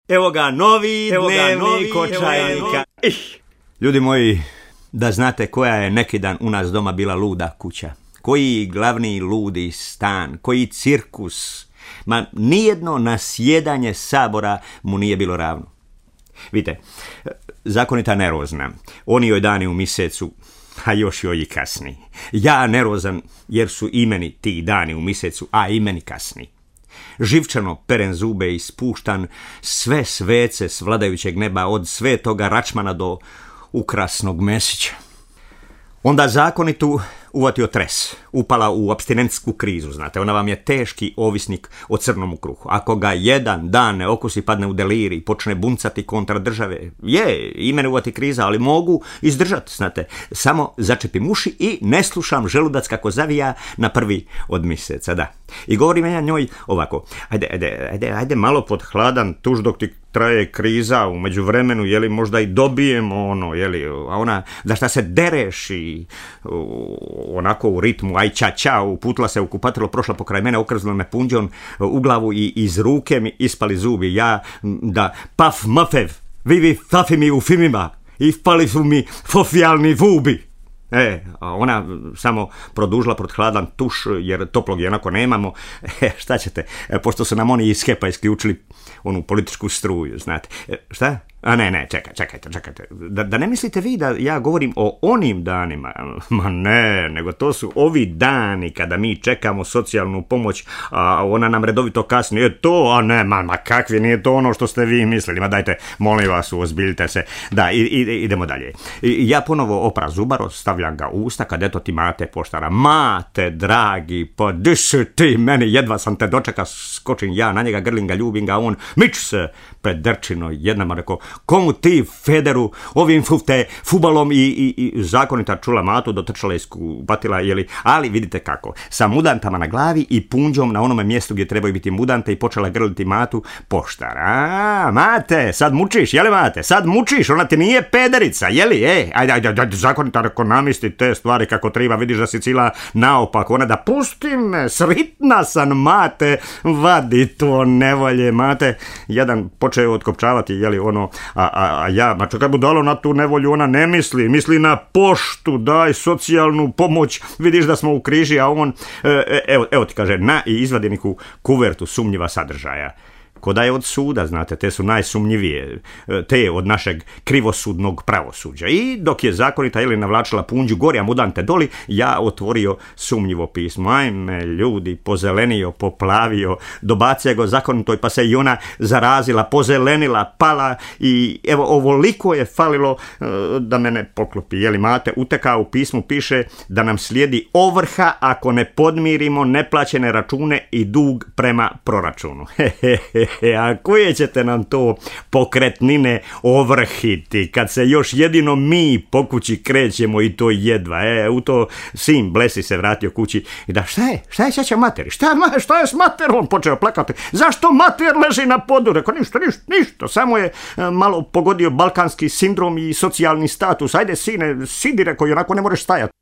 Evo ga novi dnevnik očajnika. Ljudi moji, da znate koja je neki dan u nas doma bila luda kuća. Koji glavni ludi stan, koji cirkus. Ma nijedno nasjedanje Sabora mu nije bilo ravno. Vidite, zakonita nervozna, oni joj dani u mjesecu, a još joj i kasni. Ja nervozan jer su i meni ti dani u mjesecu, a i meni kasni. Živčano perem zube i spuštan sve svece s vladajućeg neba, od svetoga Račmana do ukrasnog Mesića. Onda zakonitu uvatio tres, upala u apstinentsku krizu, znate, ona vam je teški ovisnik o crnom kruhu. Ako ga jedan dan ne okusi, padne u delirij, počne buncati kontra države. I mene uvati kriza, ali mogu izdržati, znate. Samo začepim uši i ne slušam želudac kako zavija na prvi od mjeseca, da. I govorim ja njoj ovako, ajde malo pod hladan tuž dok ti traje kriza, u međuvremenu, jeli, možda i dobijemo ono, jeli, a ona, da šta se dereš i onako u ritmu, aj ča, uputila se u kupatilo, prošla pokraj mene, okrznula me punđom u glavu i iz ruke mi ispali zubi. Ja, da, paf mafev, vivi fafi mi u filmima, ispali su mi fofijalni vubi. A ona samo produžila pod hladan tuš, jer toplog jednako nemamo. Šta ćete, pošto su nam oni iz HEP-a isključili onu političku struju, znate. Šta? A ne, čekajte. Da ne mislite vi da ja govorim o onim danima? Ma ne, nego to su ovi dani kada mi čekamo socijalnu pomoć, a ona nam redovito kasni. A ne, ma kakvi, nije to ono što ste vi mislili. Ma dajte, molim vas, uozbiljite se. Da, idemo dalje. Ja ponovo opra zubaro, stavljam ga u usta, kad eto ti Mate poštara. Mate, dragi, pa di si ti meni, jedva sam te dočeka, skočim ja na njega, grlim ga, ljubim ga, on mič se predrčino jednama, rekao, komu ti, Federu, ovim fubalom i zakonita čula Matu, dotrčala i skupatila, jeli, ali vidite kako, sa mudantama na glavi i punđom na onome mjestu gdje trebaju biti mudante i počela grliti Matu poštar. Mate, sad mučiš, jeli Mate, sad mučiš, ona ti nije pederica, jeli, ajde, zakonita, rekao, namisli te stvari kako treba, vidiš da si cila naopak, ona da pusti me, sritna sam, Mate, vadi to nevolje, Mate, jedan počeo otkopčavati, jeli, ono, a ja, ma čekaj budalo, na tu nevolju ona ne misli na poštu, daj socijalnu pomoć, vidiš da smo u križi, a on, evo ti kaže, na i izvadi neku kuvertu sumnjiva sadržaja. Koda je od suda, znate, te su najsumnjivije, te od našeg krivosudnog pravosuđa. I dok je zakonita ili navlačila punđu gori, a mudante doli, ja otvorio sumnjivo pismo. Ajme, ljudi, pozelenio, poplavio, dobacija go zakonitoj, pa se i ona zarazila, pozelenila, pala i evo, ovoliko je falilo da mene poklopi. Jeli Mate, utekao u pismu, piše da nam slijedi ovrha ako ne podmirimo neplaćene račune i dug prema proračunu. A koje ćete nam to pokretnine ovrhiti kad se još jedino mi po kući krećemo i to jedva. U to sin Blesi se vratio kući i da šta je šeća materi? Šta je s materom? Počeo plakati. Zašto mater leži na podu? Rekao ništa. Samo je malo pogodio balkanski sindrom i socijalni status. Ajde sine, sidi, rekao, onako ne možeš stajati.